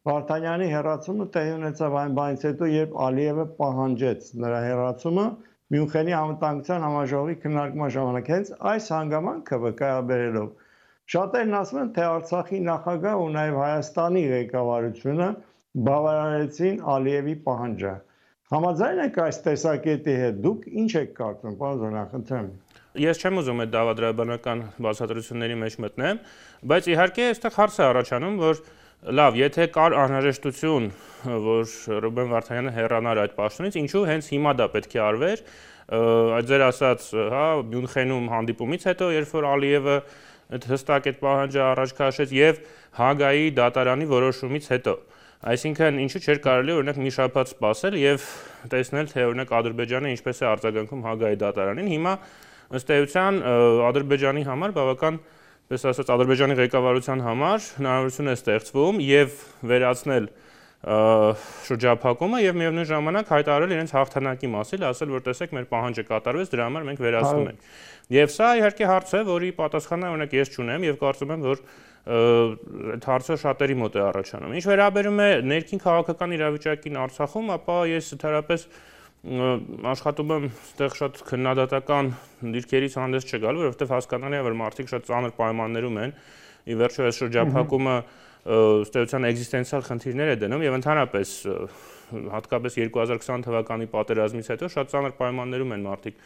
Վարդանյանի հեռացումը տեղի ունեցավ այն բանից հետո, երբ Ալիևը պահանջեց նրա հեռացումը Մյունխենի անվտանգության համաժողովի քննարկման ժամանակ։ Հենց այս հանգամանքը վկայաբերելով շատերն ասում են, թե Արցախի նախագահ ու նաև Հայաստանի ղեկավարությունը բավարարեցին Ալիևի պահանջը։ Համաձայն եք այս տեսակետի հետ, դուք ինչ եք կարծում, պարոն Զորյան, խնդրեմ։ Ես չեմ ուզում այդ դավադրաբանական բացատրությունների մեջ մտնեմ, բայց իհարկե այստեղ հարց է առաջանում, որ լավ, եթե կար անհրաժեշտություն, որ Ռուբեն Վարդանյանը հեռանար այդ պաշտոնից, ինչու հենց հիմա դա պետք է արվեր, այդ ձեր ասած, հա, Մյունխենում հանդիպումից հետո, երբ որ Ալիևը հստակ այդ պահանջը առաջ քաշեց եւ Հագայի դատարանի որոշումից հետո։ Այսինքն, ինչու չէր կարելի օրինակ մի շաբաթ սպասել եւ տեսնել, թե օրինակ Ադրբեջանը ինչպես է արձագանքում Հագայի դատարանին։ Հիմա ըստ էության Ադրբեջանի համար բավական, պես ասած, Ադրբեջանի ղեկավարության համար հնարավորություն է ստեղծվում եւ վերացնել շրջափակումը եւ միևնույն ժամանակ հայտարարել իրենց հաղթանակի մասին, ասել, որ տեսեք, մեր պահանջը կատարվեց, դրա համար մենք վերացնում ենք։ Եվ սա իհարկե հարց է, որի պատասխանը օրինակ ես չունեմ եւ կարծում եմ, որ այդ հարցը շատերի մոտ է առաջանում։ Ինչ վերաբերում է ներքին քաղաքական իրավիճակին Արցախում, ապա ես ընդհանրապես աշխատում եմ այդտեղ շատ քննադատական դիրքերից հանդես չգալ, որովհետև հասկանալի է, որ մարդիկ շատ ծանր պայմաններում են։ Ի վերջո այս շրջափակումը ըստ էության էգզիստենցիալ խնդիրներ է դնում եւ ընդհանրապես հատկապես 2020 թվականի պատերազմից հետո շատ ծանր պայմաններում են մարդիկ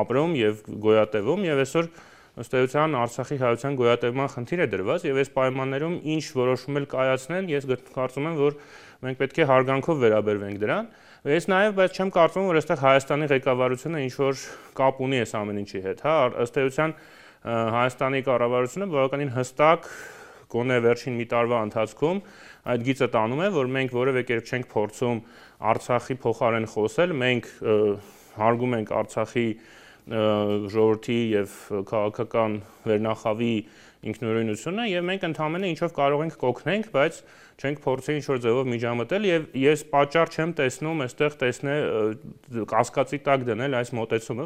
ապրում եւ գոյատևում եւ այսօր ըստ էության Արցախի հայության գոյատևման խնդիր է դրված եւ այս պայմաններում ինչ որոշում էլ կայացնեն, ես կարծում եմ, որ մենք պետք է հարգանքով վերաբերվենք դրան։ Ես նաև, բայց չեմ կարծում, որ այստեղ Հայաստանի ղեկավարությունը ինչ-որ կապ ունի այս ամեն ինչի հետ, հա, ըստ էության Հայաստանի կառավարությունը բավականին հստակ գոնե վերջին մի տարվա ընթացքում այդ գիծը տանում է, որ մենք որևէ կերպ չենք փորձում Արցախի փոխարեն խոսել, մենք հարգում ենք Արցախի ժողովրդի եւ քաղաքական վերնախավի ինքնուրույնությունը եւ մենք ընդհանրապես ինչով կարող ենք կօգնենք, բայց չենք փորձի ինչ-որ ձևով միջամտել եւ ես պատճառ չեմ տեսնում այստեղ կասկածի տակ դնել այս մոտեցումը,